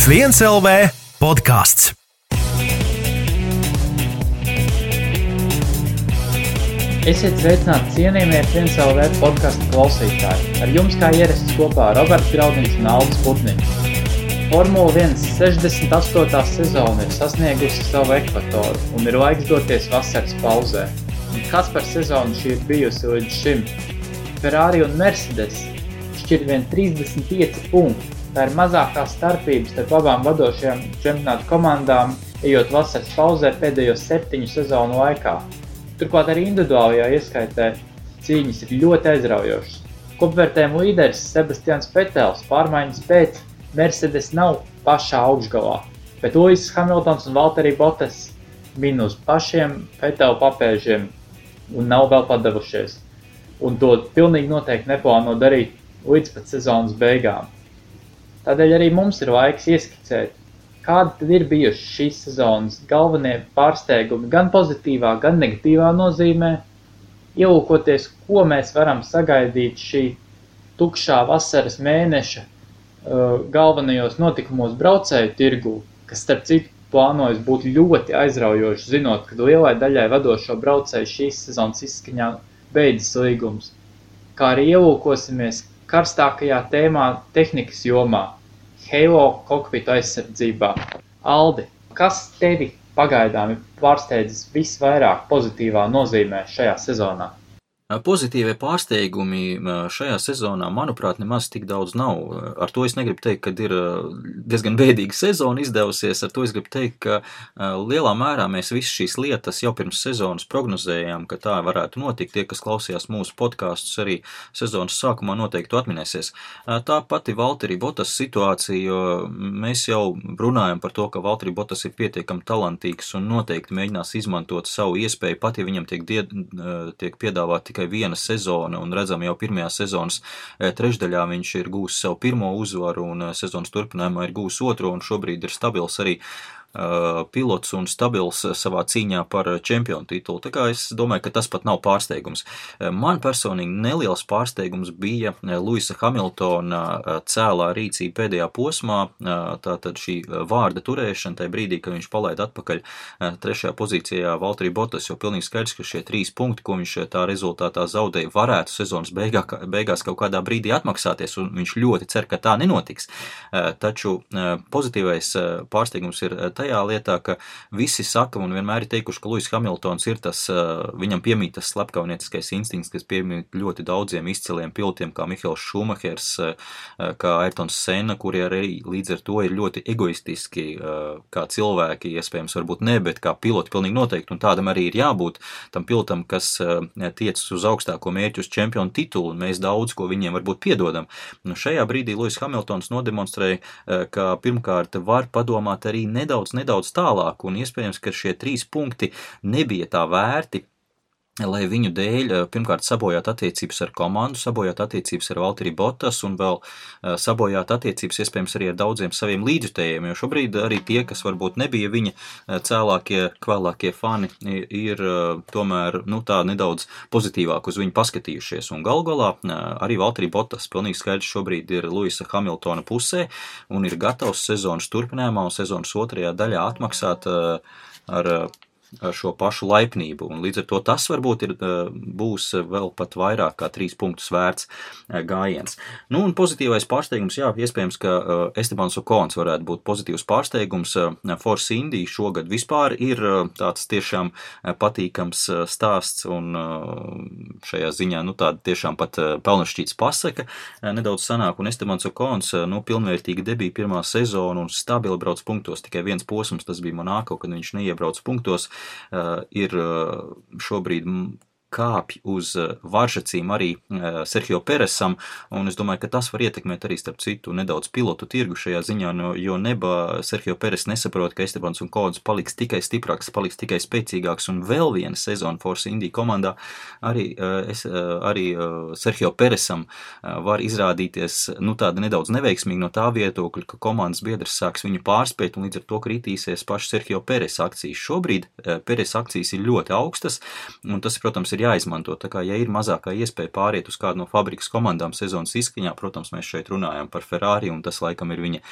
F1 LV podkāsts. Esiet sveicināti cienījamie F1 LV podkasta klausītāji. Ar jums kā ierasts kopā Roberts Graudiņš un Aldis Putniņš. Formula 1 68. sezona ir sasniegusi savu ekvatoru un ir laiks doties vasaras pauzē. Un kas par sezonu šī ir bijusi līdz šim? Ferrari un Mercedes šķir vien 35 punkti. Tā ir mazākā starpības starp abām vadošajām čempionātu komandām, ejot vasaras pauzē pēdējos 7 sezonu laikā. Turklāt arī individuālajā ieskaitē cīņas ir ļoti aizraujošas. Kopvērtējuma līderis Sebastians Vetels pārmaiņas pēc Mercedes nav pašā augšgalā, bet Lewis Hamiltons un Valtteri Bottas min uz pašiem Vetela papēžiem un nav vēl padavušies. Un to pilnīgi noteikti neplāno darīt līdz pat sezonas beigām. Tādēļ arī mums ir laiks ieskicēt, kādi tad ir bijuši šīs sezonas galvenie pārsteigumi gan pozitīvā, gan negatīvā nozīmē, ielūkoties, ko mēs varam sagaidīt šī tukšā vasaras mēneša galvenajos notikumos braucēju tirgū, kas starp citu plānojas būt ļoti aizraujoši, zinot, ka lielai daļai vadošo braucēju šīs sezonas izskaņā beidzas līgums. Kā arī ielūkosimies karstākajā tēmā tehnikas jomā, Halo kokpitu aizsardzībā. Aldi, kas tevi pagaidām ir pārsteidzis visvairāk pozitīvā nozīmē šajā sezonā? Pozitīvie pārsteigumi šajā sezonā, manuprāt, nemaz tik daudz nav. Ar to es negribu teikt, ka ir diezgan bēdīga sezona izdevusies. Ar to es gribu teikt, ka lielā mērā mēs visas šīs lietas jau pirms sezonas prognozējām, ka tā varētu notikt. Tie, kas klausījās mūsu podkastus arī sezonas sākumā, noteikti atminēsies. Tā pati Valtteri Bottas situācija, jo mēs jau runājam par to, ka Valtteri Bottas ir pietiekami talantīgs un noteikti mēģinās izmantot savu iespēju, pat ja viņam tiek piedāvāt tikai viena sezona, un redzam jau pirmajā sezonas trešdaļā viņš ir gūs savu pirmo uzvaru, un sezonas turpinājumā ir gūs otro, un šobrīd ir stabils arī pilots un stabils savā cīņā par čempionu titulu. Tā kā es domāju, ka tas pat nav pārsteigums. Man personīgi neliels pārsteigums bija Lewisa Hamiltona cēlā rīcība pēdējā posmā, tātad šī vārda turēšana tajā brīdī, kad viņš palaida atpakaļ trešajā pozīcijā Valtteri Bottas, jo pilnīgi skaidrs, ka šie 3 punkti, ko viņš tā rezultātā zaudēja, varētu sezonas beigās kaut kādā brīdī atmaksāties, un viņš ļoti cer, ka tā nenotiks. Taču pozitīvais pārsteigums ir tajā lietā, ka visi saka un vienmēr ir teikuši, ka Lewis Hamiltons ir tas, viņam piemīt tas slepkavnieciskais instinkts, kas piemīt ļoti daudziem izciliem pilotiem, kā Mihaels Šumahers, kā Ayrtons Senna, kuri arī līdz ar to ir ļoti egoistiski, kā cilvēki, iespējams varbūt ne, bet kā piloti pilnīgi noteikti, un tādam arī ir jābūt tam pilotam, kas tiecas uz augstāko mērķu uz čempionu titulu, un mēs daudz, ko viņiem varbūt piedodam. Šajā brīdī Lewis Hamiltons nodemonstrēja, ka pirmkārt var padomāt arī nedaudz tālāk, un iespējams, ka šie 3 punkti nebija tā vērti, lai viņu dēļ pirmkārt sabojāt attiecības ar komandu, sabojāt attiecības ar Valtteri Bottas un vēl sabojāt attiecības iespējams arī ar daudziem saviem līdzjutējiem, jo šobrīd arī tie, kas varbūt nebija viņa cēlākie, kvēlākie fani, ir tomēr tā nedaudz pozitīvāk uz viņu paskatījušies. Un galā arī Valtteri Bottas pilnīgi skaidrs šobrīd ir Lewisa Hamiltona pusē un ir gatavs sezonas turpinājumā un sezonas otrajā daļā atmaksāt ar šo pašu laipnību, un līdz ar to tas varbūt būs vēl pat vairāk kā 3 punktus vērts gājiens. Un pozitīvais pārsteigums, jā, iespējams, ka Estebans Okons varētu būt pozitīvs pārsteigums. Force India šogad vispār ir tāds tiešām patīkams stāsts, un šajā ziņā, tāda tiešām pat pelnašķīts pasaka nedaudz sanāk, un Estebans Okons, pilnvērtīgi debija pirmā sezona un stabili brauc punktos, tikai viens posms, tas bija Monako, kad viņš neiebrauc punktos, ir šobrīd kāpj uz varžacīm arī Sergio Peresam, un es domāju, ka tas var ietekmēt arī starp citu nedaudz pilotu tirgu šajā ziņā, jo Sergio Peres nesaprot, ka Estebans Okons paliks tikai stiprāks, paliks tikai spēcīgāks, un vēl viena sezona Force India komandā arī Sergio Peresam var izrādīties tāda nedaudz neveiksmīgi no tā viedokļa, ka komandas biedrs sāks viņu pārspēt, un līdz ar to kritīsies paši Sergio Peres akcijas. Šobrīd Peres akcijas ir ļoti augstas, un tas, protams, ir jāizmanto. Tā kā, ja ir mazākā iespēja pāriet uz kādu no fabrikas komandām sezonas izskaņā, protams, mēs šeit runājam par Ferrari, un tas laikam ir viņa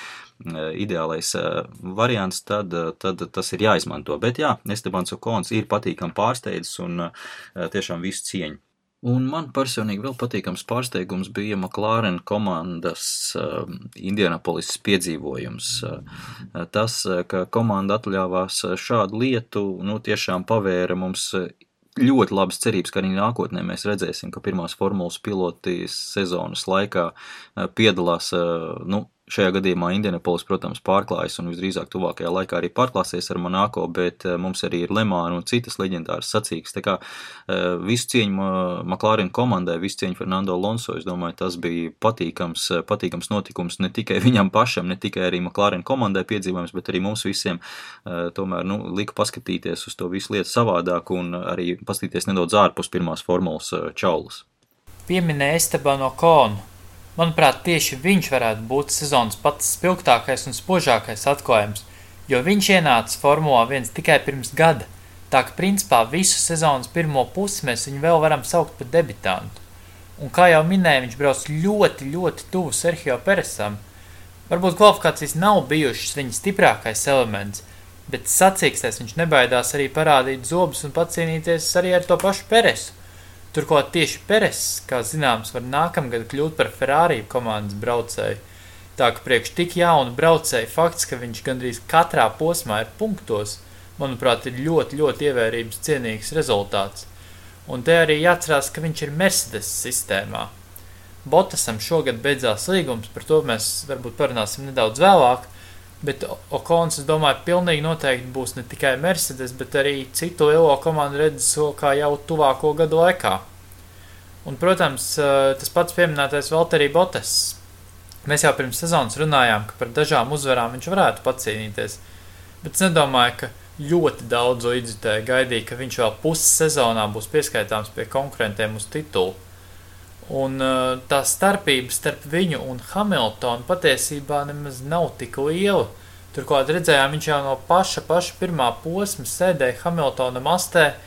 ideālais variants, tad tas ir jāizmanto. Bet jā, Estebans Okons ir patīkami pārsteidzis un tiešām visu cieņu. Un man personīgi vēl patīkams pārsteigums bija McLaren komandas Indianapolis piedzīvojums. Tas, ka komanda atļāvās šādu lietu, tiešām pavēra mums ļoti labas cerības, ka arī nākotnē mēs redzēsim, ka pirmās formulas piloti sezonas laikā piedalās, šajā gadījumā Indianapolis, protams, pārklājas un visdrīzāk tuvākajā laikā arī pārklāsies ar Monaco, bet mums arī ir Le Mans un citas leģendāras sacīkstes. Tā kā visu cieņu McLaren komandai, visu cieņu Fernando Alonso, es domāju, tas bija patīkams notikums ne tikai viņam pašam, ne tikai arī McLaren komandai piedzīvojums, bet arī mums visiem tomēr lika paskatīties uz to visu lietu savādāk un arī paskatīties nedaudz ārpus pirmās formulas čaulas. Pieminēja Esteban Okonu. Manuprāt, tieši viņš varētu būt sezonas pats spilgtākais un spožākais atklājums, jo viņš ienāca Formulā 1 tikai pirms gada, tā ka principā visu sezonas pirmo pusi mēs viņu vēl varam saukt par debitantu. Un kā jau minēja, viņš brauc ļoti, ļoti tuvu Sergio Peresam. Varbūt kvalifikācijas nav bijušas viņa stiprākais elements, bet sacīkstēs viņš nebaidās arī parādīt zobus un pacīnīties arī ar to pašu Peresu. Turklāt tieši Peres, kā zināms, var nākamgad kļūt par Ferrari komandas braucēju. Tā ka priekš tik jaunu braucēju fakts, ka viņš gandrīz katrā posmā ir punktos, manuprāt, ir ļoti, ļoti ievērības cienīgs rezultāts. Un te arī jāatcerās, ka viņš ir Mercedes sistēmā. Bottasam šogad beidzās līgums, par to mēs varbūt parunāsim nedaudz vēlāk, bet Okons, es domāju, pilnīgi noteikti būs ne tikai Mercedes, bet arī citu lielo komandu redzes kā jau tuvāko gadu laikā. Un, protams, tas pats pieminētais Valtteri Bottas. Mēs jau pirms sezonas runājām, ka par dažām uzvarām viņš varētu pacīnīties, bet es nedomāju, ka ļoti daudz līdzjutēji gaidīja, ka viņš vēl puses sezonā būs pieskaitāms pie konkurentiem uz titulu. Un tā starpība starp viņu un Hamiltonu patiesībā nemaz nav tik liela. Turklāt redzējām, viņš jau no paša pirmā posma sēdēja Hamiltona mastē.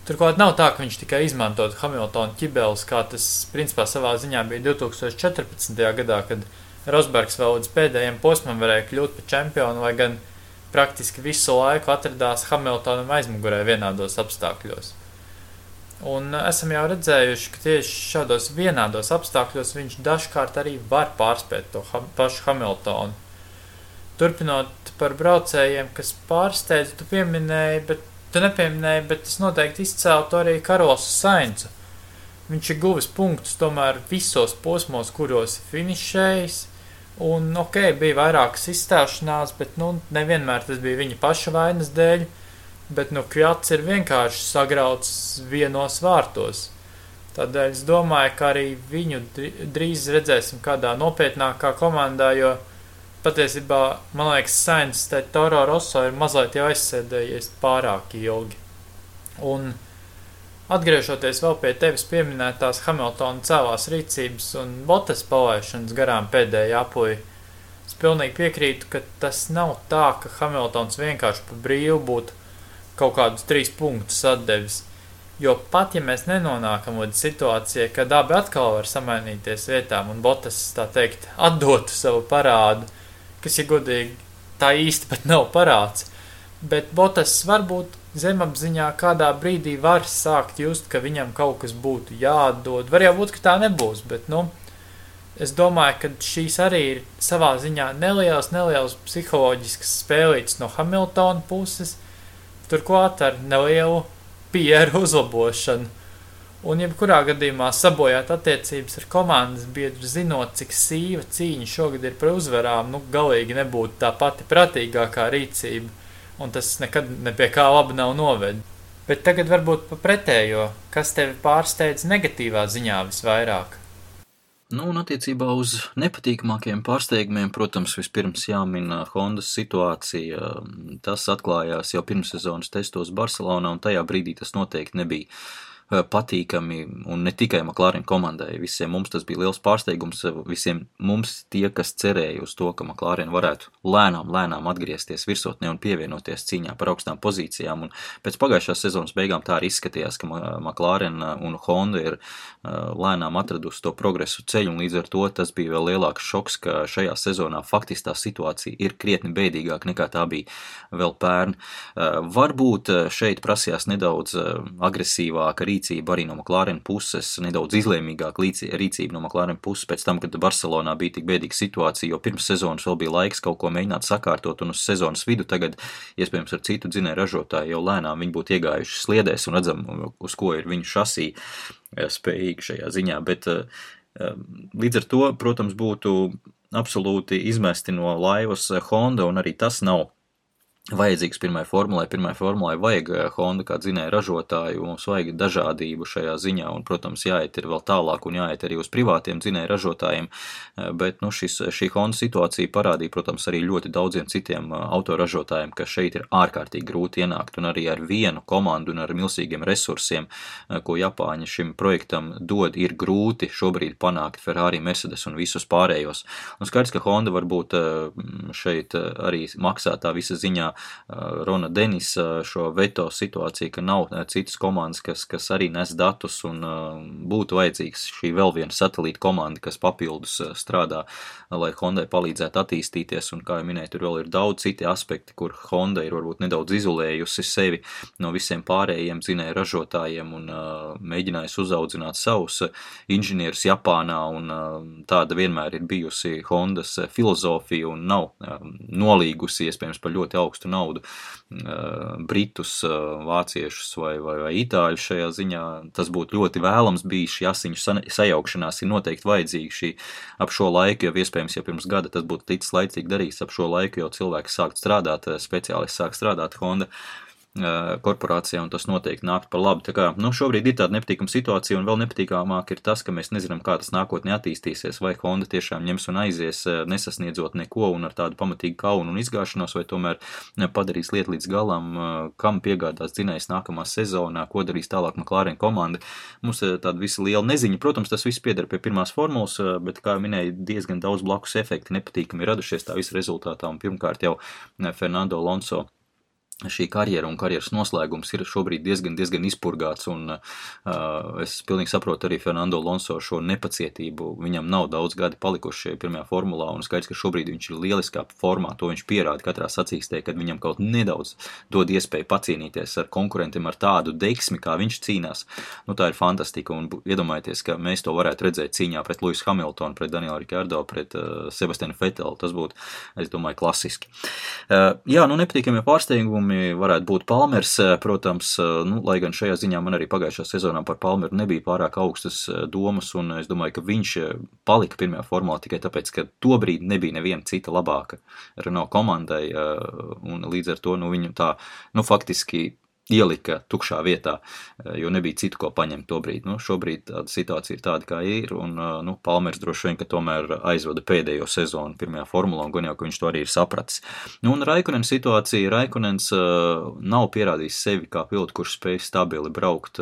Turklāt nav tā, ka viņš tikai izmantot Hamiltona ķibeles, kā tas principā savā ziņā bija 2014. gadā, kad Rosbergs vēl līdz pēdējiem posmam varēja kļūt par čempionu, lai gan praktiski visu laiku atradās Hamiltonam aizmugurē vienādos apstākļos. Un esam jau redzējuši, ka tieši šādos vienādos apstākļos viņš dažkārt arī var pārspēt to pašu Hamiltonu. Turpinot par braucējiem, kas pārsteidz, tu nepieminēji, bet es noteikti izcēltu arī Carlosu Sainzu. Viņš ir guvis punktus tomēr visos posmos, kuros finišējis, un bija vairākas izstāšanās, bet nevienmēr tas bija viņa paša vainas dēļ. Bet Kjats ir vienkārši sagrauts vienos vārtos. Tādēļ es domāju, ka arī viņu drīz redzēsim kādā nopietnākā komandā, jo patiesībā, man liekas, Sainz Toro Rosso ir mazliet jau aizsēdējies pārāk ilgi. Un atgriežoties vēl pie tevis pieminētās Hamiltona cēlās rīcības un Bottas palaišanas garām pēdējā apuļi, es pilnīgi piekrītu, ka tas nav tā, ka Hamiltons vienkārši pa brīvu būtu kaut kādus 3 punktus atdevis, jo pat, ja mēs nenonākam līdz situācijai, kad abi atkal var samainīties vietām un Bottas, tā teikt, atdotu savu parādu, kas, ja godīgi, tā īsti pat nav parāds, bet Bottas varbūt zemapziņā kādā brīdī var sākt just, ka viņam kaut kas būtu jāatdod, var jau būt, ka tā nebūs, bet, es domāju, ka šīs arī ir savā ziņā nelielas psiholoģiskas spēlītes no Hamiltona puses, turklāt ar nelielu PR uzlabošanu. Un jebkurā gadījumā sabojāt attiecības ar komandas biedru, zinot, cik sīva cīņa šogad ir par uzvarām, galīgi nebūtu tā pati pratīgākā rīcība, un tas nekad ne pie kā laba nav noved. Bet tagad varbūt pa pretējo, kas tevi pārsteidz negatīvā ziņā visvairāk? Un attiecībā uz nepatīkamākajiem pārsteigumiem, protams, vispirms jāmin Hondas situācija. Tas atklājās jau pirmssezonas testos Barcelonā, un tajā brīdī tas noteikti nebija patīkami, un ne tikai McLaren komandai. Visiem mums tas bija liels pārsteigums, visiem mums tie, kas cerēja uz to, ka McLaren varētu lēnām atgriezties virsotnē un pievienoties cīņā par augstām pozīcijām, un pēc pagājušās sezonas beigām tā arī izskatījās, ka McLaren un Honda ir lēnām atradusi to progresu ceļu, un līdz ar to tas bija vēl lielāks šoks, ka šajā sezonā faktiski tā situācija ir krietni bēdīgāk nekā tā bija vēl pērn. Varbūt šeit prasījās nedaudz agresīvāka rīcība arī no McLaren puses, nedaudz izlēmīgāka rīcība no McLaren puses pēc tam, kad Barcelonā bija tik bēdīga situācija, jo pirms sezonas vēl bija laiks kaut ko mēģināt sakārtot, un uz sezonas vidu tagad, iespējams, ar citu dzinēju ražotāju jau lēnām viņi būtu iegājuši sliedēs un redzam, uz ko ir viņu šasī spējīgi šajā ziņā, bet līdz ar to, protams, būtu absolūti izmesti no laivas Honda, un arī tas nav vajadzīgs pirmai formulai vajag Honda kā dzinēja ražotāju, mums vajag dažādību šajā ziņā, un, protams, jāiet ir vēl tālāk un jāiet arī uz privātiem dzinēja ražotājiem, bet, šī Honda situācija parādīja, protams, arī ļoti daudziem citiem autoražotājiem, ka šeit ir ārkārtīgi grūti ienākt, un arī ar vienu komandu un ar milzīgiem resursiem, ko Japāņi šim projektam dod, ir grūti šobrīd panākt Ferrari, Mercedes un visus pārējos. Un skaidrs, ka Honda varbūt šeit arī maksā tā visa ziņā Rona Denisa šo veto situāciju, ka nav citas komandas, kas arī nes datus, un būtu vajadzīgs šī vēl viena satelīta komanda, kas papildus strādā, lai Hondai palīdzētu attīstīties, un, kā jau minēju, tur vēl ir daudz citi aspekti, kur Honda ir varbūt nedaudz izolējusi sevi no visiem pārējiem dzinēju ražotājiem un mēģinājusi uzaudzināt savus inženierus Japānā, un tāda vienmēr ir bijusi Hondas filozofija un nav nolīgusi, iespējams, par ļoti augstu naudu britus, vāciešus vai itāļus šajā ziņā. Tas būtu ļoti vēlams bijis, šī asiņu sajaukšanās ir noteikti vajadzīga ap šo laiku, jo iespējams, ja pirms gada tas būtu ticis laicīgi darīts, ap šo laiku jau cilvēki sākt strādāt, speciālisti sāk strādāt Honda korporācijā, un tas noteikti nāk par labu. Tā kā, šobrīd ir tāda nepatīkama situācija, un vēl nepatīkamāk ir tas, ka mēs nezinām, kā tas nākotnē attīstīsies, vai Honda tiešām ņems un aizies, nesasniedzot neko un ar tādu pamatīgu kaunu un izgāšanos, vai tomēr padarīs lietu līdz galam, kam piegādās dzinējs nākamā sezonā, ko darīs tālāk McLaren komanda. Mums ir tāda visa liela neziņa. Protams, tas viss pieder pie pirmās formulas, bet, kā minēju, diezgan daudz blakus efekti nepatīkami radušies tā visa rezultātā, un pirmkārt jau Fernando Alonso šī karjera un karjeras noslēgums ir šobrīd diezgan izpurgāts, un es pilnīgi saprotu arī Fernando Alonso šo nepacietību. Viņam nav daudz gadi palikuši pirmajā formulā, un skaidrs, ka šobrīd viņš ir lieliskā formā, to viņš pierāda katrā sacīkstē, kad viņam kaut nedaudz dod iespēju pacīnīties ar konkurentiem ar tādu deksmi, kā viņš cīnās. Tā ir fantastika, un iedomājieties, ka mēs to varētu redzēt cīņā pret Lewisu Hamiltonu, pret Danielu Ricciardo, pret Sebastianu Vettelu. Tas būtu, es domāju, klasiski. Nepatīkamie pārsteigumi varētu būt Palmers, protams, lai gan šajā ziņā man arī pagājušā sezonā par Palmeru nebija pārāk augstas domas, un es domāju, ka viņš palika pirmajā formulā tikai tāpēc, ka tobrīd nebija neviena cita labāka Renault komandai, un līdz ar to viņu tā, faktiski ielika tukšā vietā, jo nebija citu, ko paņemt tobrīd. Šobrīd tāda situācija ir tāda, kā ir, un Palmers droši vien, ka tomēr aizvada pēdējo sezonu pirmajā formulā, un gan jau, ka viņš to arī ir sapratis. Un Raikkonens situācija, Raikkonens nav pierādījis sevi kā pilotu, kurš spēj stabili braukt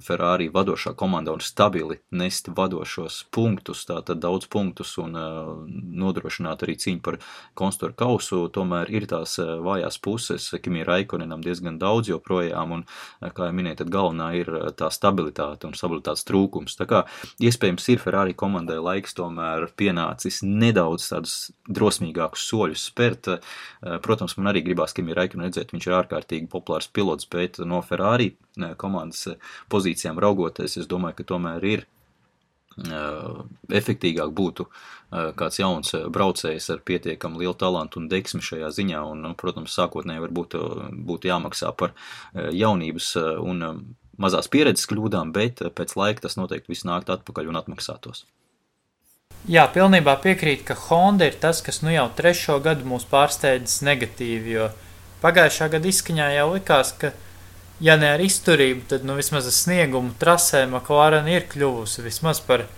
Ferrari vadošā komandā un stabili nest vadošos punktus, tātad daudz punktus un nodrošināt arī cīņu par konstruktoru kausu, tomēr ir tās vājās puses, Kimi Raikkonenam diezgan daudz joprojām, un, kā jau minēju, tad galvenā ir tā stabilitāte un stabilitātes trūkums. Tā kā iespējams ir Ferrari komandai laiks tomēr pienācis nedaudz tādus drosmīgākus soļus spērt. Protams, man arī gribās Kimi Raikkonen redzēt, viņš ir ārkārtīgi populārs pilots, bet no Ferrari komandas pozīcijām raugoties, es domāju, ka tomēr ir efektīgāk būtu kāds jauns braucējs ar pietiekam lielu talantu un deksmi šajā ziņā, un, protams, sākotnēji varbūt būtu jāmaksā par jaunības un mazās pieredzes kļūdām, bet pēc laika tas noteikti viss nākt atpakaļ un atmaksātos. Jā, pilnībā piekrīt, ka Honda ir tas, kas jau 3. gadu mūs pārsteidzis negatīvi, jo pagājušā gada izskaņā jau likās, ka ja ne ar izturību, tad vismaz ar sniegumu trasē McLaren ir kļuvusi vismaz par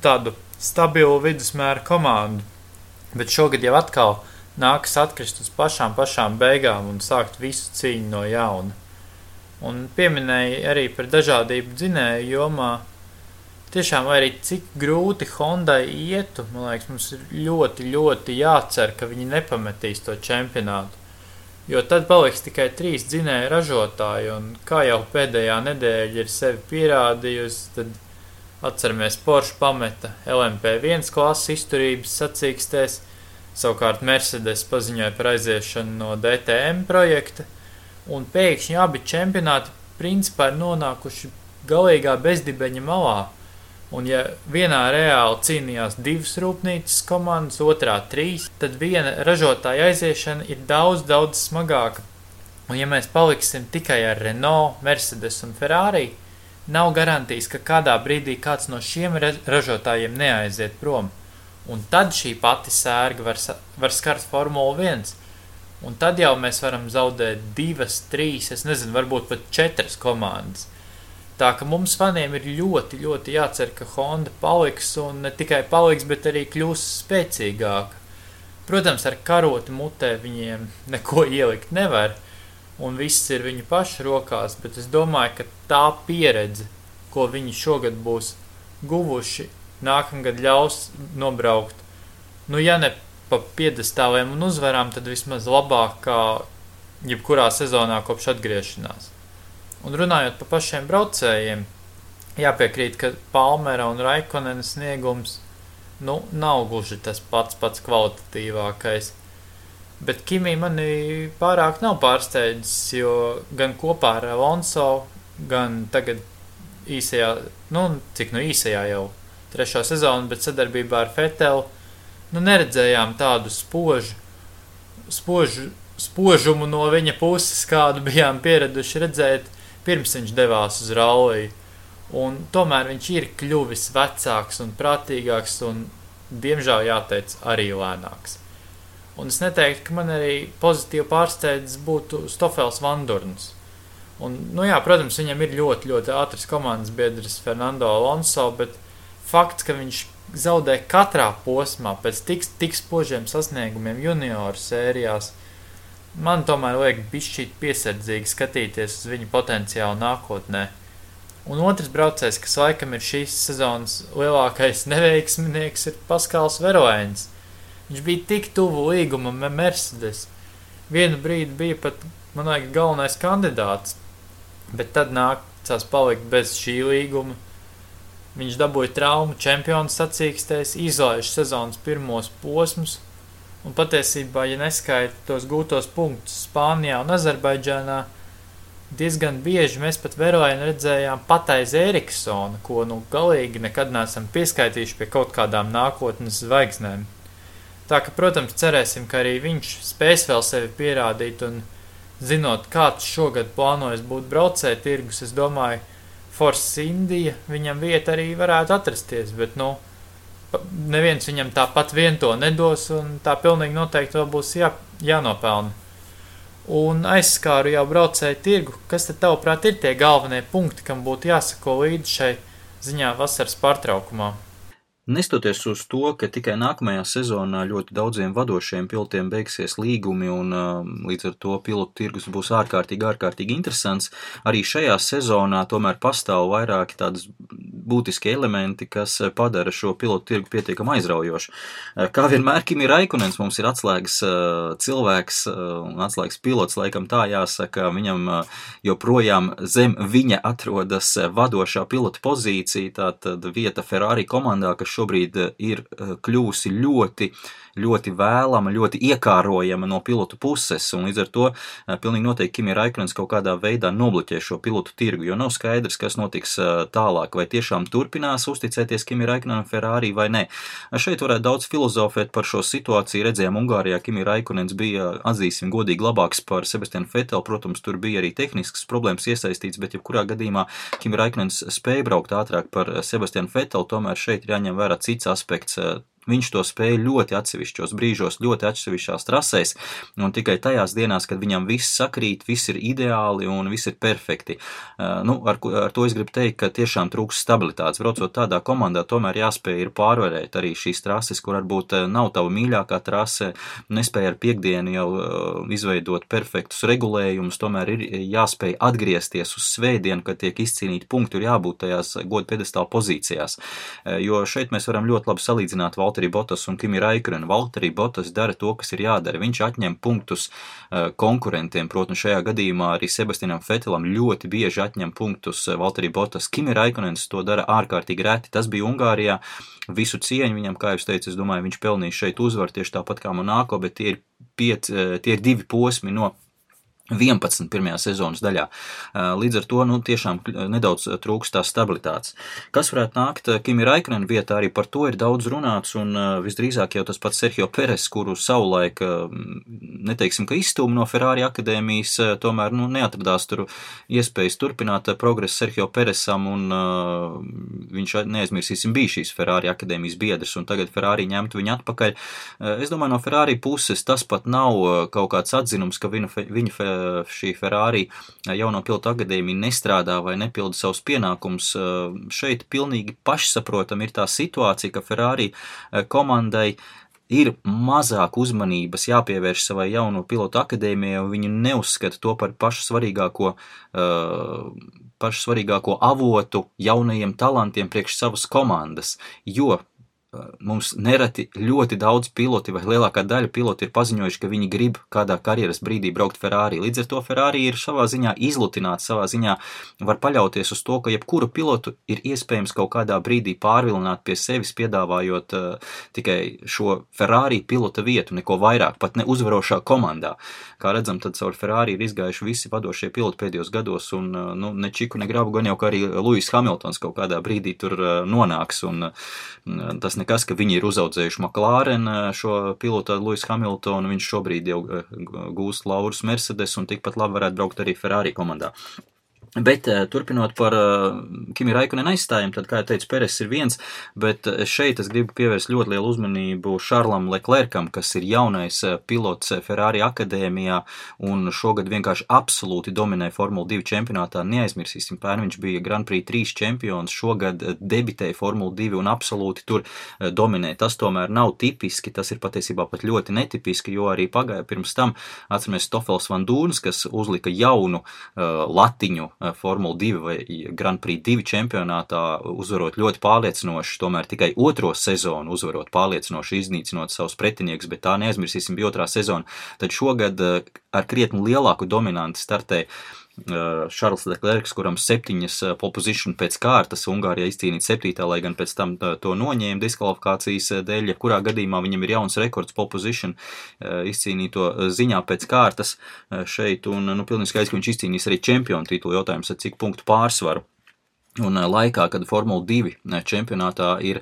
tādu stabilu vidusmēra komandu. Bet šogad jau atkal nākas atkrist uz pašām beigām un sākt visu cīņu no jauna. Un pieminēja arī par dažādību dzinēju jomā. Tiešām, lai arī cik grūti Hondai ietu, man liekas, mums ir ļoti, ļoti jācer, ka viņi nepametīs to čempionātu. Jo tad paliks tikai 3 dzinēju ražotāji, un kā jau pēdējā nedēļa ir sevi pierādījusi, tad atceramies Porsche pameta LMP1 klases izturības sacīkstēs, savukārt Mercedes paziņoja par aiziešanu no DTM projekta, un pēkšņi abi čempionāti principā ir nonākuši galīgā bezdibeņa malā. Un ja vienā reāli cīnījās 2 rūpnīcas komandas, otrā 3, tad viena ražotāja aiziešana ir daudz, daudz smagāka. Un ja mēs paliksim tikai ar Renault, Mercedes un Ferrari, nav garantijas, ka kādā brīdī kāds no šiem ražotājiem neaiziet prom. Un tad šī pati sērga var skart Formula 1. Un tad jau mēs varam zaudēt 2, 3, es nezinu, varbūt pat 4 komandas. Tā ka mums faniem ir ļoti, ļoti jācer, ka Honda paliks, un ne tikai paliks, bet arī kļūs spēcīgāka. Protams, ar karoti mutē viņiem neko ielikt nevar, un viss ir viņu pašu rokās, bet es domāju, ka tā pieredze, ko viņi šogad būs guvuši, nākamgad ļaus nobraukt, ja ne pa piedestāliem un uzvarām, tad vismaz labāk kā jebkurā sezonā kopš atgriešanās. Un runājot par pašiem braucējiem, jāpiekrīt, ka Palmera un Raikkonena sniegums nav gluži tas pats kvalitatīvākais. Bet Kimi mani pārāk nav pārsteidzis, jo gan kopā ar Alonso, gan tagad īsajā jau 3. sezonu, bet sadarbībā ar Vetteli, neredzējām tādu spožumu no viņa puses, kādu bijām pieraduši redzēt, pirms viņš devās uz ralliju. Un tomēr viņš ir kļuvis vecāks un prātīgāks un, diemžēl jāteic, arī lēnāks. Un es neteiktu, ka man arī pozitīvi pārsteidzis būtu Stoffels Vandoorns. Un, protams, viņam ir ļoti, ļoti ātrs komandas biedrs Fernando Alonso, bet fakts, ka viņš zaudē katrā posmā pēc tik spožiem sasniegumiem junioru sērijās, man tomēr liek bišķīt piesardzīgi skatīties uz viņu potenciālu nākotnē. Un otrs braucējs, kas laikam ir šīs sezonas lielākais neveiksminieks, ir Paskals Verlains. Viņš bija tik tuvu līgumam Mercedes. Vienu brīdi bija pat, man liekas, galvenais kandidāts, bet tad nācās palikt bez šī līguma. Viņš dabūja traumu čempionu sacīkstēs, izlaiž sezonas pirmos posmus, un patiesībā, ja neskaita tos gūtos punktus Spānijā un Azerbaidžānā, diezgan bieži mēs pat Verlainu redzējām pat aiz Eriksona, ko galīgi nekad neesam pieskaitījuši pie kaut kādām nākotnes zvaigznēm. Tā ka, protams, cerēsim, ka arī viņš spēs vēl sevi pierādīt, un zinot, kāds šogad plānojas būt braucēju tirgus, es domāju, Force India viņam vieta arī varētu atrasties, bet, neviens viņam tāpat vien to nedos, un tā pilnīgi noteikti vēl būs jānopelna. Un aizskāru jau braucēju tirgu, kas tad tavuprāt ir tie galvenie punkti, kam būtu jāsako līdz šai ziņā vasaras pārtraukumā? Nestoties uz to, ka tikai nākamajā sezonā ļoti daudziem vadošiem pilotiem beigsies līgumi un līdz ar to pilotu tirgus būs ārkārtīgi interesants, arī šajā sezonā tomēr pastāv vairāki tādas būtiski elementi, kas padara šo pilotu tirgu pietiekami aizraujošu. Kā vienmēr Kimi Raikkonens mums ir atslēgas cilvēks un atslēgas pilots, laikam tā jāsaka, viņam joprojām zem viņa atrodas vadošā pilota pozīcija, tātad vieta Ferrari komandā, kas šobrīd ir kļūsi ļoti vēlama, ļoti iekārojama no pilotu puses, un līdz ar to pilnīgi noteikti Kimi Raikkonens kaut kādā veidā nobloķē šo pilotu tirgu, jo nav skaidrs, kas notiks tālāk, vai tiešām turpinās uzticēties Kimi Raikkonenam Ferrari vai ne. Šeit varētu daudz filozofēt par šo situāciju, redzējām Ungārijā, Kimi Raikkonens bija, atzīsim godīgi, labāks par Sebastianu Vetteli, protams, tur bija arī tehniskas problēmas iesaistīts, bet jebkurā gadījumā Kimi Raikkonens spēja braukt ātrāk par Sebastianu Vetteli, tomēr šeit ir jāņem vērā cits aspekts. viņš to spēja ļoti atsevišķos brīžos, ļoti atsevišķās trasēs, un tikai tajās dienās, kad viņam viss sakrīt, viss ir ideāli un viss ir perfekti. Ar to es gribu teikt, ka tiešām trūks stabilitātes. Braucot tādā komandā, tomēr jāspēj ir pārvarēt arī šīs trases, kur varbūt nav tava mīļākā trase, nespēja ar piekdienu jau izveidot perfektus regulējumus, tomēr ir jāspēj atgriezties uz svētdienu, kad tiek izcīnīti punkti, ir jābūt tajās goda piedestāla pozīcijās. Jo šeit mēs varam ļoti labi salīdzināt Valtteri Bottas un Kimi Räikkönen. Valtteri Bottas dara to, kas ir jādara. Viņš atņem punktus konkurentiem, protams, šajā gadījumā arī Sebastianam Vettelam ļoti bieži atņem punktus Valtteri Bottas. Kimi Räikkönens to dara ārkārtīgi reti. Tas bija Ungārijā. Visu cieņu viņam, kā jūs teicu, es domāju, viņš pelnīs šeit uzvaru tieši tāpat kā Monako, bet tie ir 2 posmi no 11 pirmajā sezonas daļā. Līdz ar to, tiešām nedaudz trūkst tās stabilitātes. Kas varētu nākt Kimi Räikkönen vietā, arī par to ir daudz runāts, un visdrīzāk jau tas pats Sergio Perez, kuru savulaik, neteiksim, ka izstūma no Ferrari akadēmijas, tomēr, neatradās tur iespējas turpināt progresu Sergio Perezam, un viņš, neaizmirsīsim, bija šīs Ferrari akadēmijas biedrs, un tagad Ferrari ņemtu viņu atpakaļ. Es domāju, no Ferrari puses tas pat nav kaut kāds atzinums, ka viņa šī Ferrari jauno pilotu akadēmija nestrādā vai nepilda savus pienākumus. Šeit pilnīgi pašsaprotam ir tā situācija, ka Ferrari komandai ir mazāk uzmanības jāpievērš savai jauno pilotu akadēmijai, un viņi neuzskata to par pašu svarīgāko avotu jaunajiem talantiem priekš savas komandas, jo mums nereti ļoti daudz piloti vai lielākā daļa piloti ir paziņojuši, ka viņi grib kādā karjeras brīdī braukt Ferrari. Līdz ar to Ferrari ir savā ziņā izlutināts, savā ziņā var paļauties uz to, ka jebkuru pilotu ir iespējams kaut kādā brīdī pārvilināt pie sevis, piedāvājot tikai šo Ferrari pilota vietu, neko vairāk, pat ne uzvarošā komandā. Kā redzam, tad caur Ferrari ir izgājuši visi vadošie piloti pēdējos gados, un ne čiku, ne grabu, gan jau, ka arī Lewis Hamiltons kaut kādā brīdī tur nonāks, un tas nekas, ka viņi ir uzaudzējuši McLaren šo pilotu Lewis Hamiltonu, viņš šobrīd jau gūst laurus Mercedes un tikpat labi varētu braukt arī Ferrari komandā. Bet turpinot par Kimi Räikkönen aizstājumu, tad, kā jau teicu, Perez ir viens, bet šeit es gribu pievērst ļoti lielu uzmanību Charlesam Leclercam, kas ir jaunais pilots Ferrari akadēmijā un šogad vienkārši absolūti dominē Formula 2 čempionātā. Neaizmirsīsim, pērn viņš bija Grand Prix 3 čempions, šogad debitēja Formula 2 un absolūti tur dominē. Tas tomēr nav tipiski, tas ir patiesībā pat ļoti netipiski, jo arī pagāja pirms tam, atceramies, Stoffels Van Dūns, kas uzlika jaunu latiņu Formula 2 vai Grand Prix 2 čempionātā, uzvarot ļoti pārliecinoši, tomēr tikai otro sezonu uzvarot pārliecinoši, iznīcinot savus pretiniekus, bet tā neaizmirsīsim bija otrā sezona. Tad šogad ar krietni lielāku dominanti startē Charles Leclerc, kuram 7 pole position pēc kārtas, Ungārijā izcīnīt 7, lai gan pēc tam to noņēma diskvalifikācijas dēļ, kurā gadījumā viņam ir jauns rekords pole position izcīnīto ziņā pēc kārtas šeit, un pilnīgi skaidrs, ka viņš izcīnīs arī čempionu titulu, jautājums ar cik punktu pārsvaru. Un laikā, kad Formula 2 čempionātā ir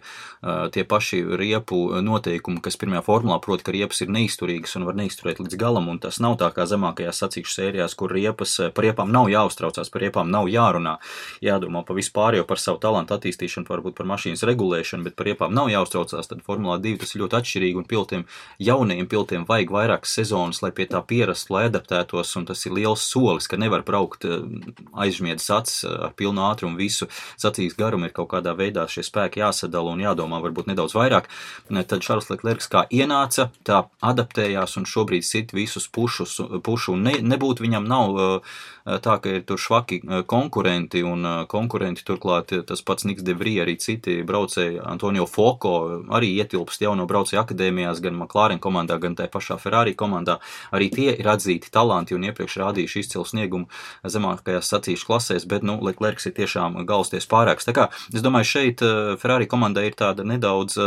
tie paši riepu noteikumi, kas pirmajā formulā, proti, ka riepas ir neizturīgas un var neizturēt līdz galam, un tas nav tā kā zemākajās sacīkšu sērijās, kur par riepām nav jāuztraucās, par riepām nav jārunā, jādomā pa vispār jau par savu talantu attīstīšanu, varbūt par mašīnas regulēšanu, bet par riepām nav jāuztraucās, tad Formulā 2 tas ir ļoti atšķirīgi, un pilotiem, jaunajiem pilotiem vajag vairākas sezonas, lai pie tā pierastu, lai adaptētos, un tas ir liels solis, ka nevar braukt aizžmiedzis acis ar pilnu ātrumu visu sacīks garumu, ir kaut kādā veidā šie spēki jāsadala un jādomā varbūt nedaudz vairāk. Tad Charles Leclerc kā ienāca, tā adaptējās un šobrīd sit visus pušu un nebūtu viņam nav tā, ka ir tur švaki konkurenti un konkurenti turklāt tas pats Niks de Vries, arī citi braucēji, Antonio Foco arī ietilpst jauno braucēju akadēmijās, gan McLaren komandā, gan tā pašā Ferrari komandā. Arī tie ir atzīti talanti un iepriekš rādījuši izcilu sniegumu zemākajās sacīšu klasēs, bet, Leclerc ir tiešām galsties pārāks. Tā kā, es domāju, šeit Ferrari komandai ir tāda nedaudz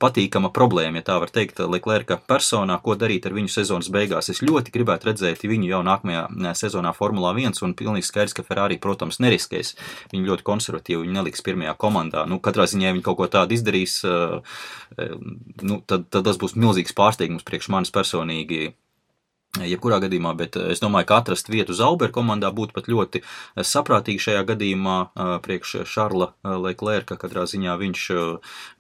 patīkama problēma, ja tā var teikt, Leclerca personā, ko darīt ar viņu sezonas beigās. Es ļoti gribētu redzēt viņu jau nākamajā sezonā Formulā 1, un pilnīgi skaidrs, ka Ferrari, protams, neriskēs. Viņi ļoti konservatīvi, viņi neliks pirmajā komandā. Katrā ziņā, ja viņi kaut ko tādu izdarīs, tad tas būs milzīgs pārsteigums priekš manis personīgi. jebkurā gadījumā, bet es domāju, ka atrast vietu Zauber komandā būtu pat ļoti saprātīgi šajā gadījumā priekš Šarla Leclerca. Katrā ziņā viņš,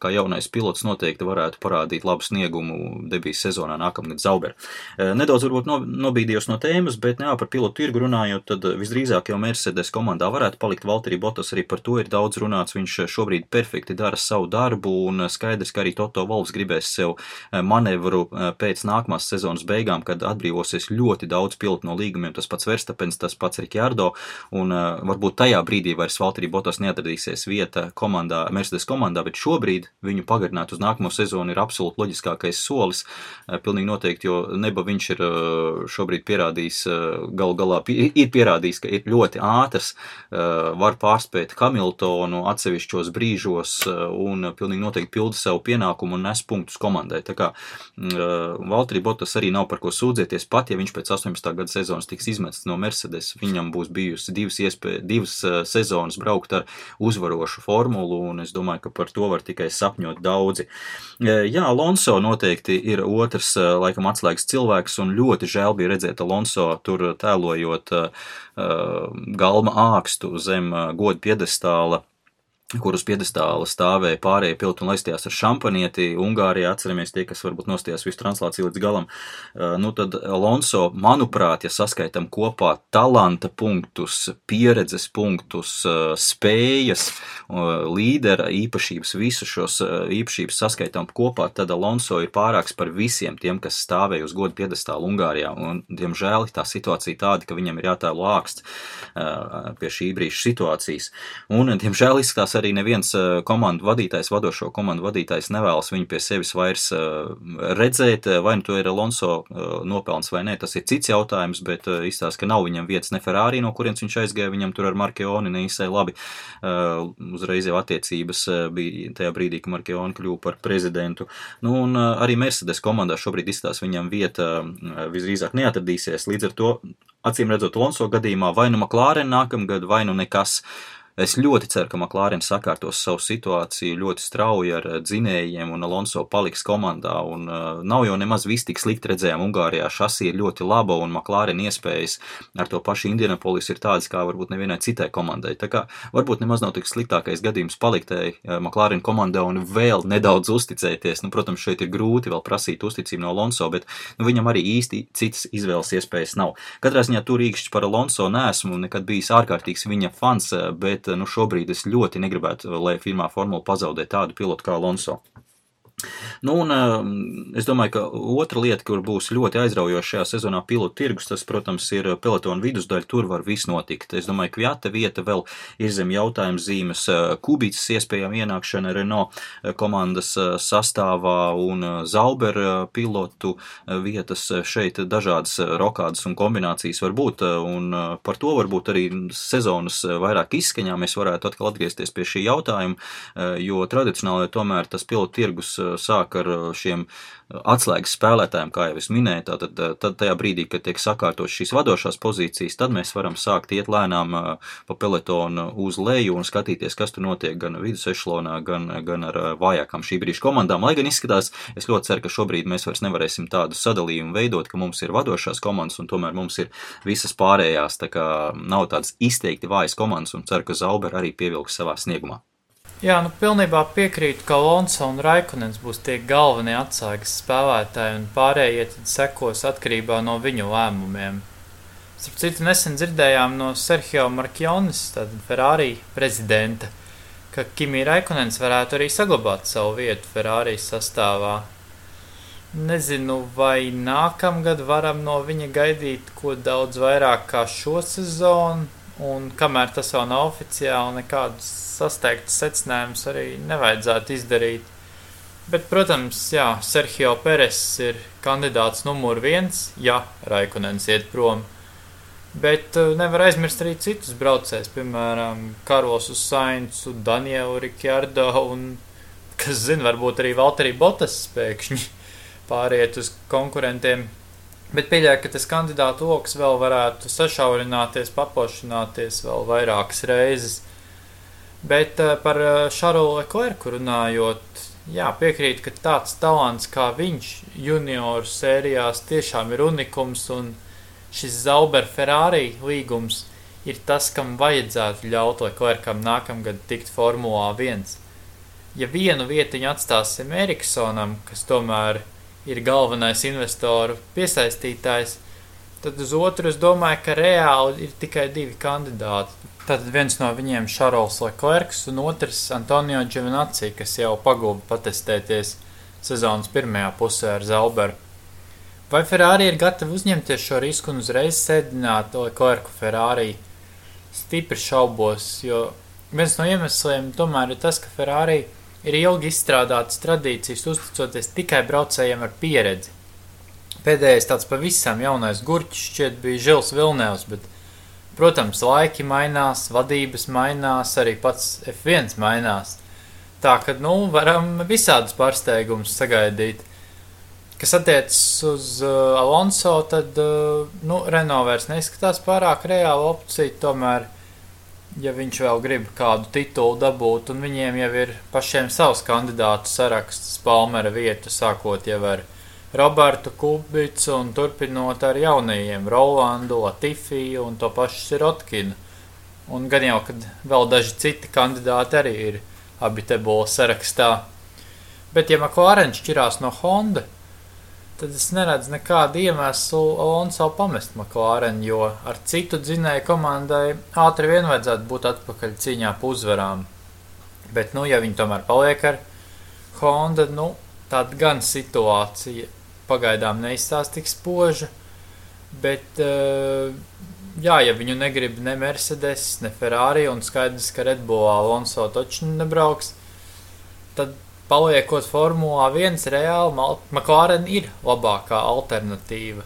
kā jaunais pilots, noteikti varētu parādīt labu sniegumu debijas sezonā nākamgad Zauber. Nedaudz varbūt nobīdījos no tēmas, bet par pilotu tirgu runājot, tad visdrīzāk jau Mercedes komandā varētu palikt Valtteri Bottas, arī par to ir daudz runāts. Viņš šobrīd perfekti dara savu darbu, un skaidrs, ka arī Toto Wolffs gribēs sev manevru pēc nākamās sezonas beigām, kad atbrīvosies ļoti daudz pilotu no līgumiem, tas pats Verstappens, tas pats Ricciardo, un varbūt tajā brīdī vairs Valtteri Bottas neatradīsies vieta komandā, Mercedes komandā, bet šobrīd viņu pagarināt uz nākamo sezonu ir absolūti loģiskākais solis, pilnīgi noteikti, jo neba viņš ir šobrīd pierādījis, galā ir pierādījis, ka ir ļoti ātrs, var pārspēt Hamiltonu atsevišķos brīžos un pilnīgi noteikti pilda savu pienākumu un nes punktus komandai. Tā kā Valtteri Bottas arī nav par ko sūdzēties, pat ja viņš pēc 18. gada sezonas tiks izmests no Mercedes, viņam būs bijusi divas sezonas braukt ar uzvarošu formulu, un es domāju, ka par to var tikai sapņot daudzi. Jā, Alonso noteikti ir otrs, laikam, atslēgas cilvēks, un ļoti žēl bija redzēt Alonso tur tēlojot galma ākstu zem goda piedestāla, kur uz piedestāla stāvēja pārējie piloti un laistījās ar šampanieti. Ungārijā, atceramies tie, kas varbūt nostījās visu translāciju līdz galam. Tad Alonso, manuprāt, ja saskaitam kopā talanta punktus, pieredzes punktus, spējas, līdera īpašības, visu šos īpašības saskaitam kopā, tad Alonso ir pārāks par visiem tiem, kas stāvēja uz goda piedestāla Ungārijā. Un, diemžēl, tā situācija tāda, ka viņam ir jātēlo āksts pie šī brīža situācijas. Un, diemžēl, izskatās arī neviens vadošo komandu vadītājs nevēlas viņu pie sevis vairs redzēt, vai nu to ir Alonso nopelns vai nē, tas ir cits jautājums, bet izstāsta, ka nav viņam vietas ne Ferrari, no kurienes viņš aizgāja, viņam tur ar Markeoni neīsai labi. Uzreiz jau attiecības bija tajā brīdī, ka Markeoni kļuva par prezidentu. Un arī Mercedes komandā šobrīd izstāsta viņam vieta visdrīzāk neatradīsies, līdz ar to, acīm redzot Alonso gadījumā, vai nu McLaren nākamgad, vai nu nekas. Es ļoti ceru, ka McLaren sakārtos savu situāciju ļoti strauji ar dzinējiem un Alonso paliks komandā, un nav jau nemaz viss tik slikti redzējām Ungārijā, šasī ir ļoti laba, un McLaren iespējas ar to pašu Indianapolis ir tādas, kā varbūt nevienai citai komandai. Tā kā varbūt nemaz nav tik sliktākais gadījums paliktēji McLaren komandā un vēl nedaudz uzticēties. Protams, šeit ir grūti vēl prasīt uzticību no Alonso, bet viņam arī īsti citas izvēles iespējas nav. Katrā ziņā tur īkšķis par Alonso neesmu nekad bijis ārkārtīgs viņa fans, bet šobrīd es ļoti negribētu, lai firmā formula pazaudē tādu pilotu kā Alonso. Es domāju, ka otra lieta, kur būs ļoti aizraujoša šajā sezonā pilotu tirgus, tas, protams, ir pelotona vidusdaļa, tur var viss notikt. Es domāju, ka Kviata vieta vēl ir zem jautājums zīmes, Kubicas iespējām ienākšana Renault komandas sastāvā un Zauber pilotu vietas šeit dažādas rokādas un kombinācijas var būt, un par to varbūt arī sezonas vairāk izskaņā mēs varētu atkal atgriezties pie šī jautājuma, jo tradicionāli tomēr tas pilotu tirgus sāk ar šiem atslēgas spēlētājiem, kā jau es minēju, tad tajā brīdī, kad tiek sakārtos šīs vadošās pozīcijas, tad mēs varam sākt iet lēnām pa pelotonu uz leju un skatīties, kas tur notiek gan vidus ešalonā, gan ar vājākām šī brīža komandām. Lai gan izskatās, es ļoti ceru, ka šobrīd mēs vairs nevarēsim tādu sadalījumu veidot, ka mums ir vadošās komandas un tomēr mums ir visas pārējās, tā kā nav tādas izteikti vājas komandas, un ceru, ka Zauber arī pievilks savā sniegumā. Jā, pilnībā piekrītu, ka Alonso un Raikkonens būs tie galvenie atsaigas spēlētāji, un pārējie tad sekos atkarībā no viņu lēmumiem. Starp citu, nesen dzirdējām no Sergio Marchionis, tāda Ferrari prezidenta, ka Kimi Raikkonens varētu arī saglabāt savu vietu Ferrari sastāvā. Nezinu, vai nākamgad varam no viņa gaidīt ko daudz vairāk kā šo sezonu, un kamēr tas vēl nav oficiāli, nekādus sasteigtus secinājumus arī nevajadzētu izdarīt. Bet, protams, jā, Sergio Perez ir kandidāts numur 1, ja Raikkonens iet prom. Bet nevar aizmirst arī citus braucējus, piemēram, Carlosu Sainzu, Danielu Ricciardo un, kas zina, varbūt arī Valtteri Bottas pēkšņi pāriet uz konkurentiem. Bet pieļauju, ka tas kandidātu loks vēl varētu sašaurināties, paplašināties vēl vairākas reizes. Bet par Charlesu Leclercu runājot, Jā, piekrīt, ka tāds talants kā viņš junioru sērijās tiešām ir unikums, un šis Zauber Ferrari līgums ir tas, kam vajadzētu ļaut Leclercam nākamgad tikt Formulā 1. Ja vienu vietiņu atstāsim Eriksonam, kas tomēr ir galvenais investoru piesaistītājs, tad uz otru es domāju, ka reāli ir tikai 2 kandidāti. Tātad viens no viņiem Charles Leclercs un otrs Antonio Giovinazzi, kas jau pagūda patestēties sezonas pirmajā pusē ar Zauberu. Vai Ferrari ir gatavi uzņemties šo risku un uzreiz sēdināt Leclercu Ferrari? Stipri šaubos, jo viens no iemesliem tomēr ir tas, ka Ferrari ir ilgi izstrādātas tradīcijas uzticoties tikai braucējiem ar pieredzi. Pēdējais tāds pavisam jaunais gurķis šķiet bija Žils Vilnevs, bet protams, laiki mainās, vadības mainās, arī pats F1 mainās. Tā, ka, varam visādus pārsteigumus sagaidīt. Kas attiecas uz Alonso, tad, Renault vairs neizskatās pārāk reāla opcija, tomēr, ja viņš vēl grib kādu titulu dabūt, un viņiem jau ir pašiem savs kandidātu saraksts Palmera vietu, sākot jau ar Robertu Kubicu un turpinot ar jaunajiem Rolandu, Latifiju un to pašu Sirotkinu. Un gan jau, kad vēl daži citi kandidāti arī ir abi te būs sarakstā. Bet ja McLaren šķirās no Honda, tad es neredzu nekādu iemeslu Alonso pamest McLaren, jo ar citu dzinēju komandai ātri vien vajadzētu būt atpakaļ cīņā pa uzvarām. Bet, ja viņi tomēr paliek ar Honda, tāda gan situācija pagaidām neizstās tik spoža, bet, ja viņu negrib ne Mercedes, ne Ferrari, un skaidrs, ka Red Bull Alonso taču nebrauks, tad paliekot Formulā 1 reāli, McLaren ir labākā alternatīva.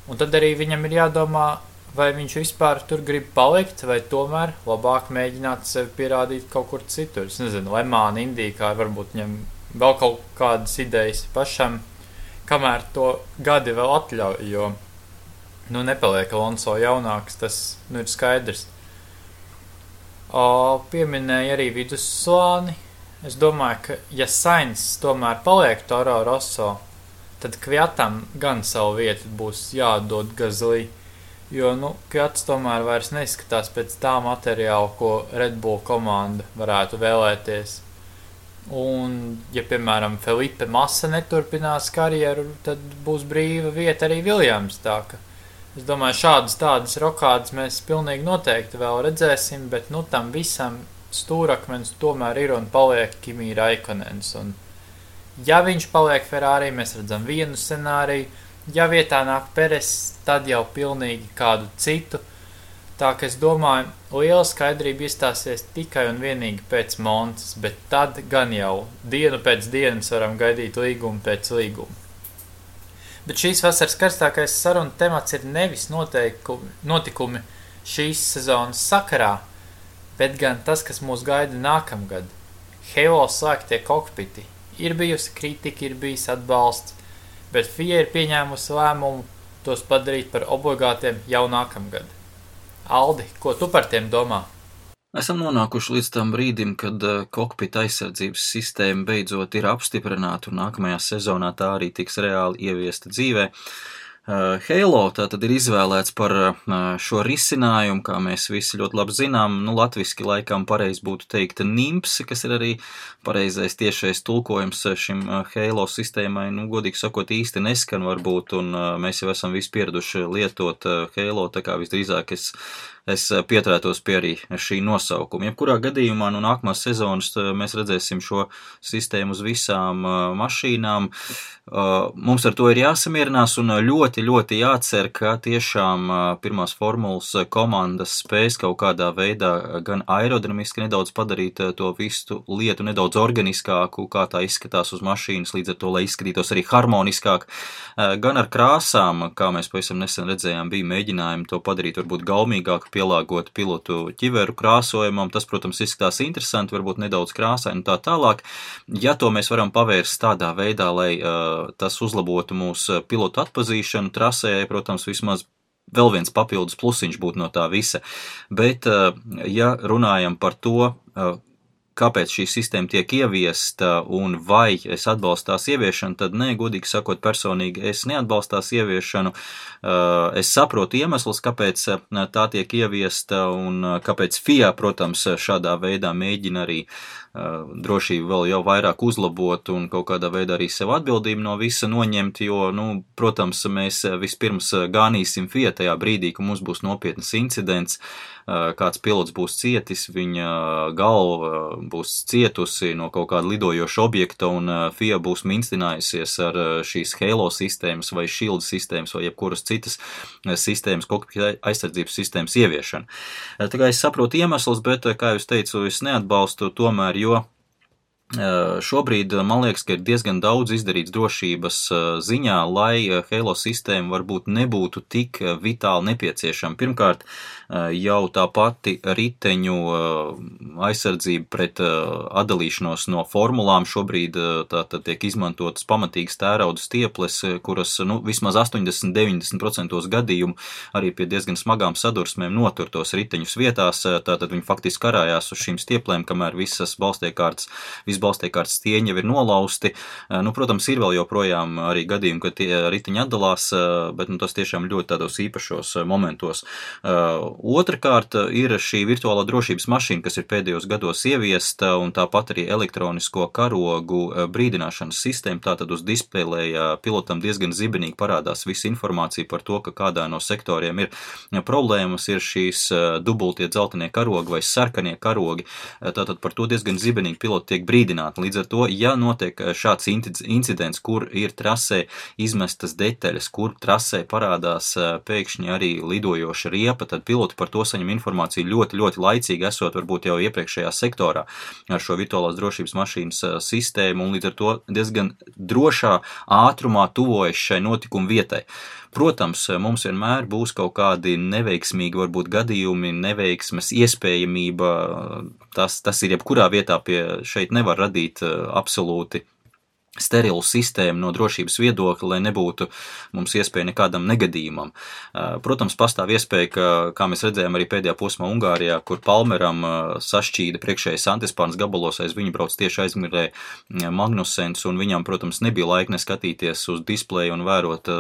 Un tad arī viņam ir jādomā, vai viņš vispār tur grib palikt, vai tomēr labāk mēģināt sevi pierādīt kaut kur citur. Es nezinu, Lemāna, Indijā, varbūt viņam vēl kaut kādas idejas pašam, kamēr to gadi vēl atļauj, jo nepaliek Alonso jaunāks, tas ir skaidrs. Pieminēja arī vidusslāni. Es domāju, ka ja Sainz tomēr paliek Toro Rosso, tad Kviatam gan savu vietu būs jādod Gasly, jo Kviats tomēr vairs neizskatās pēc tā materiāla, ko Red Bull komanda varētu vēlēties. Un, ja, piemēram, Felipe Massa neturpinās karjeru, tad būs brīva vieta arī Viljams, tā ka es domāju, tādas rokādas mēs pilnīgi noteikti vēl redzēsim, bet, tam visam stūrakmens tomēr ir un paliek Kimi Raikonens. Un, ja viņš paliek Ferrari, mēs redzam vienu scenāriju, ja vietā nāk Peres, tad jau pilnīgi kādu citu. Tā, ka es domāju, liela skaidrība iestāsies tikai un vienīgi pēc Montas, bet tad gan jau dienu pēc dienas varam gaidīt līgumu pēc līguma. Bet šīs vasaras karstākais saruna temats ir nevis notikumi šīs sezonas sakarā, bet gan tas, kas mūs gaida nākamgad. Halo slēgtie kokpiti. Ir bijusi kritika, ir bijis atbalsts, bet FIA ir pieņēmusi lēmumu tos padarīt par obligātiem jau nākamgad. Aldi, ko tu par tiem domā? Esam nonākuši līdz tam brīdim, kad kokpita aizsardzības sistēma beidzot ir apstiprināta un nākamajā sezonā tā arī tiks reāli ieviesta dzīvē. Halo tātad ir izvēlēts par šo risinājumu, kā mēs visi ļoti labi zinām, latviski laikam pareizi būtu teikt NIMPS, kas ir arī pareizais tiešais tulkojums šim Halo sistēmai, godīgi sakot, īsti neskan varbūt, un mēs jau esam visi pieraduši lietot Halo, tā kā visdrīzāk es pieturētos pie arī šī nosaukuma. Jebkurā gadījumā nākamās sezonas mēs redzēsim šo sistēmu uz visām mašīnām. Mums ar to ir jāsamierinās un ļoti, ļoti jācer, ka tiešām pirmās formulas komandas spēs kaut kādā veidā gan aerodinamiski nedaudz padarīt to visu lietu nedaudz organiskāku, kā tā izskatās uz mašīnas, līdz ar to, lai izskatītos arī harmoniskāk, gan ar krāsām, kā mēs pavisam nesen redzējām, bija mēģinājumi to padarīt varbūt gaumīgāk, pielāgot pilotu ķiveru krāsojumam. Tas, protams, izskatās interesanti, varbūt nedaudz krāsaini un tā tālāk. Ja to mēs varam pavērst tādā veidā, lai tas uzlabotu mūsu pilotu atpazīšanu trasē, protams, vismaz vēl viens papildus plusiņš būtu no tā visa. Bet, ja runājam par to, kāpēc šī sistēma tiek ieviesta un vai es atbalstu tās ieviešanu, tad nē, godīgi sakot, personīgi es neatbalstu tās ieviešanu. Es saprotu iemeslus, kāpēc tā tiek ieviesta un kāpēc FIA, protams, šādā veidā mēģina arī drošību vēl jau vairāk uzlabot un kaut kādā veidā arī sev atbildību no visa noņemt, jo, protams, mēs vispirms gānīsim FIA tajā brīdī, ka mums būs nopietnas incidents, kāds pilots būs cietis, viņa galva būs cietusi no kaut kāda lidojoša objekta un FIA būs minstinājusies ar šīs Halo sistēmas vai Shield sistēmas vai jebkuras citas sistēmas, kokpita aizsardzības sistēmas ieviešana. Tā kā es saprotu iemeslus, bet, kā jūs teicu, es neatbalstu tomēr, jo šobrīd man liekas, ka ir diezgan daudz izdarīts drošības ziņā, lai Halo sistēma varbūt nebūtu tik vitāli nepieciešama. Pirmkārt, jau tā pati riteņu aizsardzība pret atdalīšanos no formulām šobrīd tātad tiek izmantotas pamatīgas tērauda stieples, kuras vismaz 80-90% gadījumu arī pie diezgan smagām sadursmēm notur tos riteņus vietās, tātad viņi faktiski karājās uz šīm stieplēm, kamēr visas balstiekārtas stieņi jau ir nolausti. Protams, ir vēl joprojām arī gadījumi, ka tie riteņi atdalās, bet tas tiešām ļoti tādos īpašos momentos. Otrakārt ir šī virtuālā drošības mašīna, kas ir pēdējos gados ieviesta, un tāpat arī elektronisko karogu brīdināšanas sistēma, tātad uz displeja pilotam diezgan zibenīgi parādās visa informācija par to, ka kādā no sektoriem ir problēmas, ir šīs dubultie dzeltenie karogi vai sarkanie karogi, tātad par to diezgan zibenīgi piloti tiek brīdināti. Līdz ar to, ja notiek šāds incidents, kur ir trasē izmestas detaļas, kur trasē parādās pēkšņi arī lidojoša riepa, tad piloti par to saņem informāciju ļoti, ļoti laicīgi, esot varbūt jau iepriekšējā sektorā ar šo virtuālās drošības mašīnas sistēmu, un līdz ar to diezgan drošā ātrumā tuvojas šai notikuma vietai. Protams, mums vienmēr būs kaut kādi neveiksmīgi varbūt gadījumi, neveiksmes iespējamība, tas ir jebkurā vietā šeit nevar radīt absolūti sterilu sistēmu no drošības viedokļa, lai nebūtu mums iespēja nekādam negadījumam. Protams, pastāv iespēja, kā mēs redzējām arī pēdējā posmā Ungārijā, kur Palmeram sašķīda priekšējais antispārnas gabalos, aiz viņu brauc tieši aizmirē Magnusens, un viņam, protams, nebija laika neskatīties uz displeju un vērot,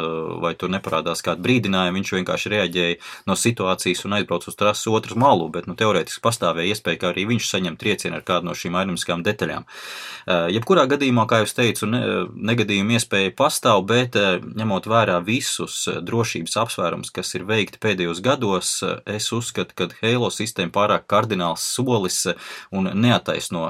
vai tur neparādās kādu brīdinājumu, viņš vienkārši reaģēja no situācijas un aizbrauc uz trases otru malu, bet teorētiski pastāvēja iespēja, ka arī viņš saņem triecienu ar kādu no šīm aerodinamiskām detaļām. Jebkurā gadījumā, kā jūs teicu, negadījuma iespēja pastāv, bet ņemot vērā visus drošības apsvērums, kas ir veikti pēdējos gados, es uzskatu, ka Halo sistēma pārāk kardināls solis un neataisno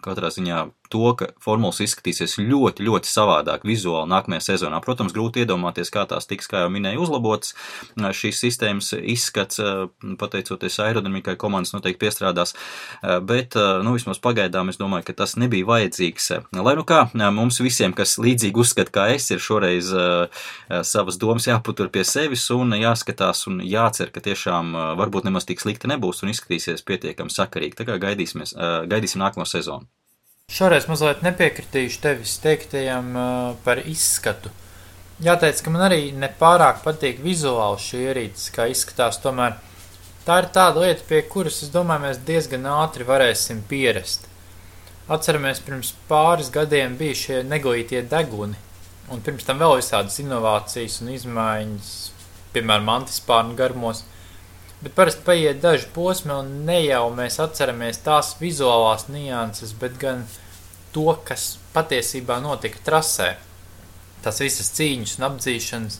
katrā ziņā to, ka formulas izskatīsies ļoti, ļoti savādāk vizuāli nākamajā sezonā. Protams, grūti iedomāties, kā tās tiks, kā jau minēju, uzlabotas. Šīs sistēmas izskats, pateicoties aerodinamikai, komandas noteikti piestrādās, bet, vismaz pagaidām es domāju, ka tas nebija vajadzīgs. Lai kā, mums visiem, kas līdzīgi uzskata, kā es, ir šoreiz savas domas jāpatur pie sevis un jāskatās un jācer, ka tiešām varbūt nemaz tik slikti nebūs un izskatīsies pietiekami sakarīgi. Tā kā gaidīsim nākamo sezonu. Šoreiz mazliet nepiekritīšu tevis teiktajam par izskatu. Jāteic, ka man arī nepārāk patīk vizuāli šī ierīces, kā izskatās, tomēr tā ir tāda lieta, pie kuras, es domāju, mēs diezgan ātri varēsim pierast. Atceramies, pirms pāris gadiem bija šie neglītie deguni, un pirms tam vēl visādas inovācijas un izmaiņas, piemēram, antispārnu garumos, bet parasti paiet daži posmi, un ne jau mēs atceramies tās vizuālās nianses, bet gan to, kas patiesībā notika trasē. Tās visas cīņas un apdzīšanas.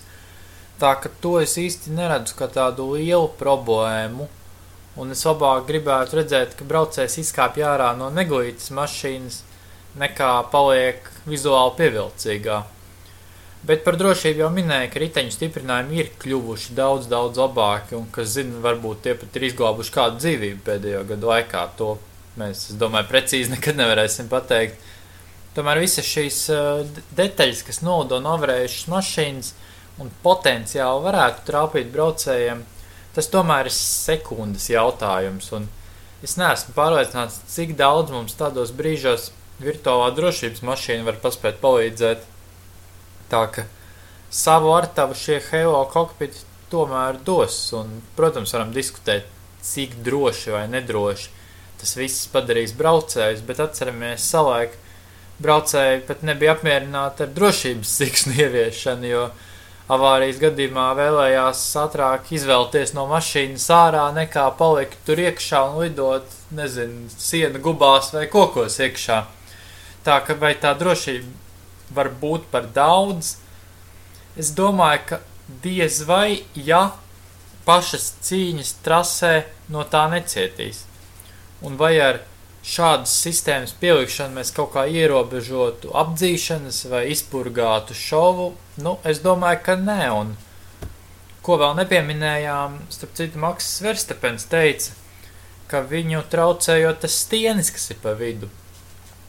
Tā ka to es īsti neredzu kā tādu lielu problēmu, un es labāk gribētu redzēt, ka braucējs izkāpj ārā no neglītas mašīnas, nekā paliek vizuāli pievilcīgā. Bet par drošību jau minēja, ka riteņu stiprinājumi ir kļuvuši daudz labāki, un, kas zina, varbūt tie pat ir izglābuši kādu dzīvību pēdējo gadu laikā. To mēs, es domāju, precīzi nekad nevarēsim pateikt. Tomēr visas šīs detaļas, kas nolido novarējušas mašīnas un potenciāli varētu trāpīt braucējiem, tas tomēr ir sekundes jautājums, un es neesmu pārliecināts, cik daudz mums tādos brīžos virtuālā drošības mašīna var paspēt palīdzēt. Tā ka savu artavu šie Halo kokpiti tomēr dos, un, protams, varam diskutēt, cik droši vai nedroši. tas viss padarīs braucējus, bet atceramies savulaik, braucēji pat nebija apmierināti ar drošības siksnu ieviešanu, jo avārijas gadījumā vēlējās ātrāk izvēlties no mašīnas ārā, nekā palikt tur iekšā un lidot, siena gubās vai kokos iekšā. Tā ka vai tā drošība var būt par daudz? Es domāju, ka diez vai, ja pašas cīņas trasē no tā necietīs. Un vai ar šādas sistēmas pielikšanu mēs kaut kā ierobežotu apdzīšanas vai izpurgātu šovu? Es domāju, ka nē. Un ko vēl nepieminējām, starp citu, Maks Verstapens teica, ka viņu traucējot tas stienis, kas ir pa vidu.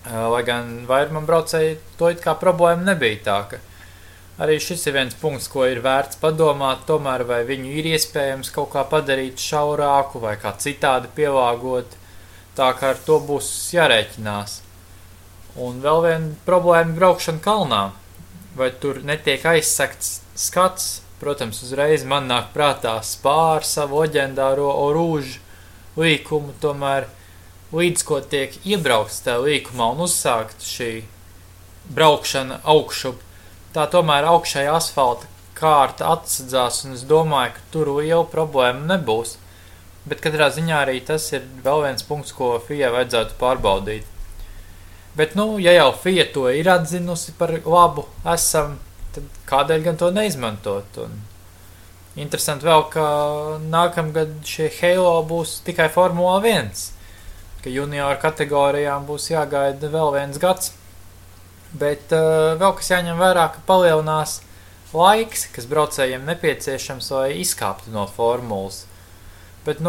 Lai gan vairumam braucēji to it kā problēma nebija tā, ka arī šis ir viens punkts, ko ir vērts padomāt, tomēr vai viņu ir iespējams kaut kā padarīt šaurāku vai kā citādi pielāgot, tā kā ar to būs jārēķinās. Un vēl viena problēma braukšana kalnā, vai tur netiek aizsekts skats, protams, uzreiz man nāk prātā Spā ar savu leģendāro Orūžu līkumu, tomēr līdz ko tiek iebraukts tajā līkumā un uzsākt šī braukšana augšup, tā tomēr augšēja asfalta kārta atsadzās, un es domāju, ka tur liela problēma nebūs. Bet katrā ziņā arī tas ir vēl viens punkts, ko FIA vajadzētu pārbaudīt. Bet, ja jau FIA to ir atzinusi par labu esam, tad kādēļ gan to neizmantot? Un interesanti vēl, ka nākamgad šie Halo būs tikai Formula 1, ka junior kategorijām būs jāgaida vēl viens gads. Bet vēl kas jāņem vērā, ka palielinās laiks, kas braucējiem nepieciešams, lai izkāptu no formulas. Bet,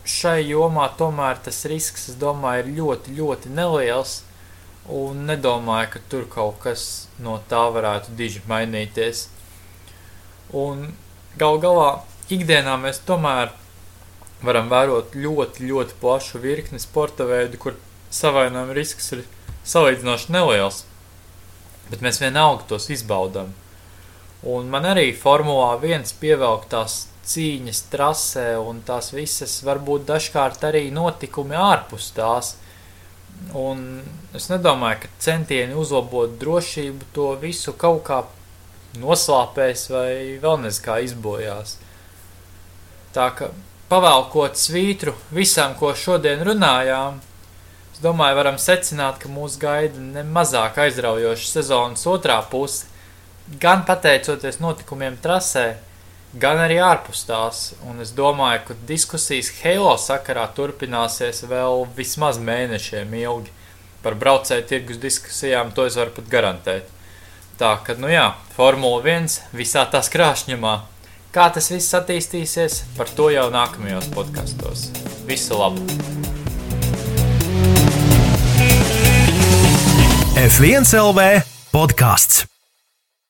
šai jomā tomēr tas risks, es domāju, ir ļoti, ļoti neliels, un nedomāju, ka tur kaut kas no tā varētu diži mainīties. Un gal galā ikdienā mēs tomēr varam vērot ļoti, ļoti plašu virkni sporta veidu, kur savainojuma risks ir salīdzinoši neliels. Bet mēs vienalga tos izbaudam. Un man arī Formulā 1 pievelk tās cīņas trasē un tās visas varbūt dažkārt arī notikumi ārpus tās. Un es nedomāju, ka centieni uzlabot drošību to visu kaut kā noslāpēs vai vēl kā izbojās. Tā ka pavēlkot svītru visam, ko šodien runājām, es domāju, varam secināt, ka mūs gaida nemazāk aizraujoša sezonas otrā puse, gan pateicoties notikumiem trasē, gan arī ārpus tās. Un es domāju, ka diskusijas Halo sakarā turpināsies vēl vismaz mēnešiem ilgi. Par braucēju tirgus diskusijām to es varu pat garantēt. Tā, ka, Formula 1 visā tās krāšņumā. Kā tas viss attīstīsies, par to jau nākamajos podkastos. Visu labu! F1 LV podcasts.